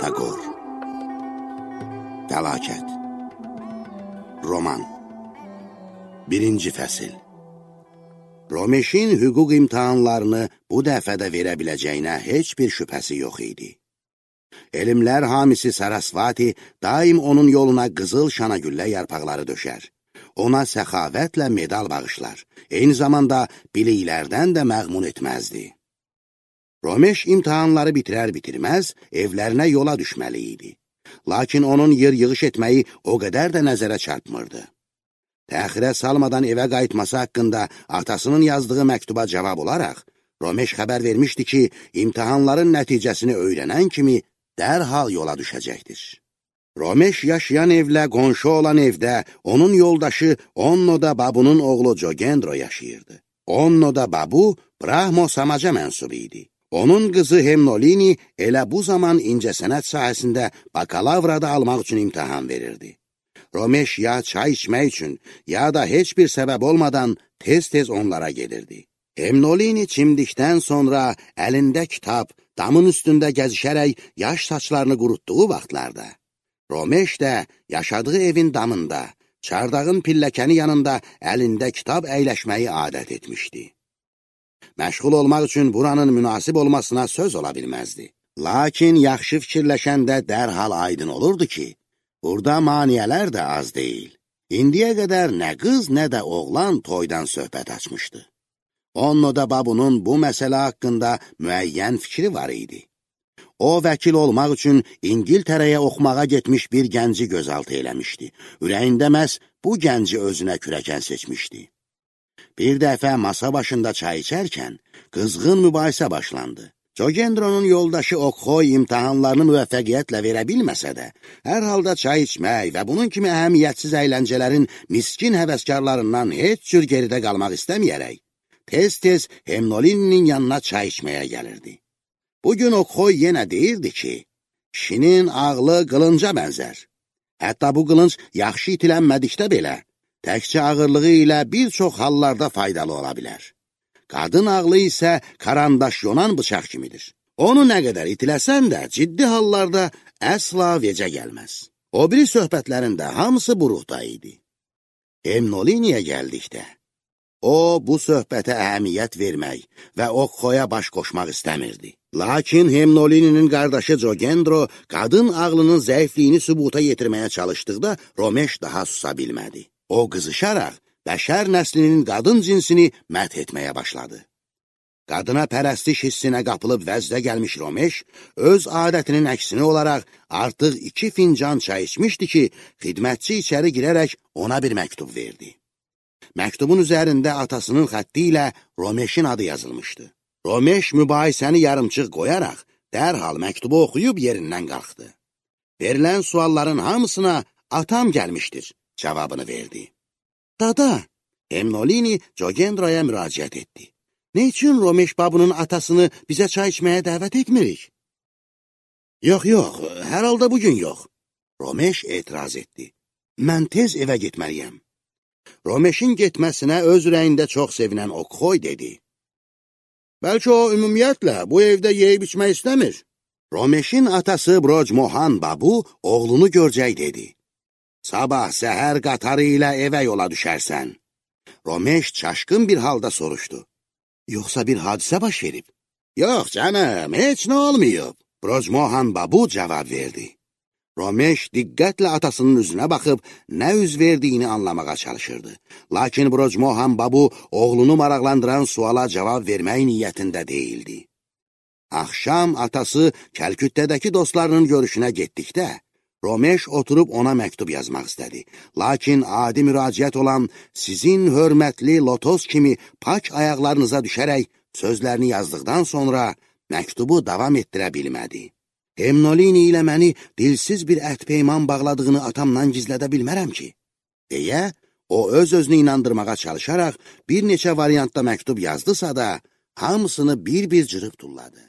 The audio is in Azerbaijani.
Pisagor. Fəlakət. Roman. 1-ci fəsil. Romeşin hüquq imtahanlarını bu dəfədə verə biləcəyinə heç bir şübhəsi yox idi. Elmlər hamisi Sarasvati daim onun yoluna qızıl şanagüllə yarpaqları döşər. Ona səxavətlə medal bağışlar. Eyni zamanda biliklərdən də məğmun etməzdi. Romeş imtahanları bitirər-bitirməz evlərinə yola düşməli idi. Lakin onun yer-yığış etməyi o qədər də nəzərə çarpmırdı. Təxirə salmadan evə qayıtması haqqında atasının yazdığı məktuba cavab olaraq, Romeş xəbər vermişdi ki, imtahanların nəticəsini öyrənən kimi dərhal yola düşəcəkdir. Romeş yaşayan evlə qonşu olan evdə onun yoldaşı Onnoda Babunun oğlu Jogendro yaşayırdı. Onnoda Babu Brahmo Samaca mənsubu idi. Onun qızı Hemnolini elə bu zaman incəsənət sahəsində bakalavrada almaq üçün imtahan verirdi. Romeş ya çay içmək üçün, ya da heç bir səbəb olmadan tez-tez onlara gelirdi. Hemnolini çimdikdən sonra əlində kitab, damın üstündə gəzişərək yaş saçlarını qurutduğu vaxtlarda, Romeş də yaşadığı evin damında, çardağın pilləkəni yanında əlində kitab əyləşməyi adət etmişdi. Məşğul olmaq üçün buranın münasib olmasına söz ola bilməzdi. Lakin yaxşı fikirləşəndə dərhal aydın olurdu ki, burada maniyələr də az deyil. İndiyə qədər nə qız, nə də oğlan toydan söhbət açmışdı. Onnoda Babunun bu məsələ haqqında müəyyən fikri var idi. O, vəkil olmaq üçün İngiltərəyə oxumağa getmiş bir gənci gözaltı eləmişdi. Ürəyində məhz bu gənci özünə kürəkən seçmişdi. Bir dəfə masa başında çay içərkən qızğın mübahisə başlandı. Jogendro'nun yoldaşı Oqxoy imtahanlarını müvəffəqiyyətlə verə bilməsə də, hər halda çay içmək və bunun kimi əhəmiyyətsiz əyləncələrin miskin həvəskarlarından heç cür geridə qalmaq istəməyərək, tez-tez Hemnolininin yanına çay içməyə gəlirdi. Bugün Oqxoy yenə deyirdi ki, kişinin ağlı qılınca bənzər. Hətta bu qılınc yaxşı itilənmədikdə belə, təkcə ağırlığı ilə bir çox hallarda faydalı ola bilər. Qadın ağlı isə karandaş yonan bıçaq kimidir. Onu nə qədər itiləsən də ciddi hallarda əsla vecə gəlməz. O biri söhbətlərində hamısı buruqda idi. Hemnoliniyə gəldikdə, o bu söhbətə əhəmiyyət vermək və Oqxoya baş qoşmaq istəmirdi. Lakin Hemnolininin qardaşı Jogendro qadın ağlının zəifliyini sübuta yetirməyə çalışdıqda Romeş daha susa bilmədi. O qızışaraq bəşər nəslinin qadın cinsini məth etməyə başladı. Qadına pərəstiş hissinə qapılıb vəzdə gəlmiş Romeş, öz adətinin əksini olaraq artıq 2 fincan çay içmişdi ki, xidmətçi içəri girərək ona bir məktub verdi. Məktubun üzərində atasının xətti ilə Romeşin adı yazılmışdı. Romeş mübahisəni yarımçıq qoyaraq, dərhal məktubu oxuyub yerindən qalxdı. Verilən sualların hamısına atam gəlmişdir cavabını verdi. Dada, Hemnolini Jogendro'ya müraciət etdi. Ne üçün Romeş babunun atasını bizə çay içməyə dəvət etmirik? Yox, hər halda bugün yox. Romeş etiraz etdi. Mən tez evə getməliyəm. Romeşin getməsinə öz ürəyində çox sevinən Oqxoy dedi. Bəlkə o ümumiyyətlə bu evdə yeyib içmək istəmir. Romeşin atası Brojmohan Babu oğlunu görcək dedi. Sabah səhər qatarı ilə evə yola düşərsən. Romeş çaşqın bir halda soruşdu. Yoxsa bir hadisə baş verib? Yox canım, heç nə olmayıb. Brojmohan Babu cavab verdi. Romeş diqqətlə atasının üzünə baxıb nə üz verdiyini anlamağa çalışırdı. Lakin Brojmohan Babu oğlunu maraqlandıran suala cavab vermək niyyətində deyildi. Axşam atası Kəlküttədəki dostlarının görüşünə getdikdə, Romeş oturub ona məktub yazmaq istədi. Lakin adi müraciət olan sizin hörmətli lotos kimi pak ayaqlarınıza düşərək sözlərini yazdıqdan sonra məktubu davam etdirə bilmədi. Hemnolini ilə məni dilsiz bir əhd-peyman bağladığını atamdan gizlədə bilmərəm ki, deyə o öz-özünü inandırmağa çalışaraq bir neçə variantda məktub yazdısa da, hamısını bir-bir cırıb tulladı.